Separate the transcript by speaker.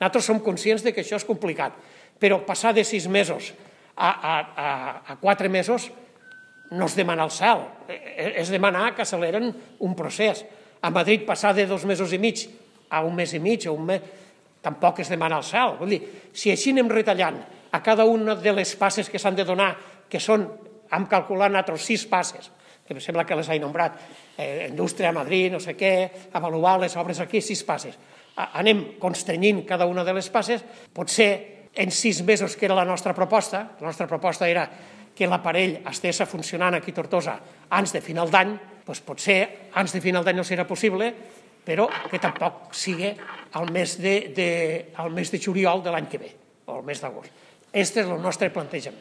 Speaker 1: Nosaltres som conscients que això és complicat, però passar de 6 mesos a 4 mesos no és demanar el cel, és demanar que acceleren un procés. A Madrid passar de 2 mesos i mig a 1 mes i mig o un mes tampoc és demanar el cel. Vull dir, si així anem retallant a cada una de les passes que s'han de donar, que són, hem calculat nosaltres 6 passes, que em sembla que les he nombrat, indústria a Madrid, no sé què, avaluar les obres aquí, 6 passes. Anem constrenyint cada una de les passes, potser en 6 mesos, que era la nostra proposta era que l'aparell estigués funcionant aquí a Tortosa abans de final d'any, doncs potser abans de final d'any no serà possible, però que tampoc sigui al mes de juliol de l'any que ve, o al mes d'agost. Aquest és el nostre plantejament.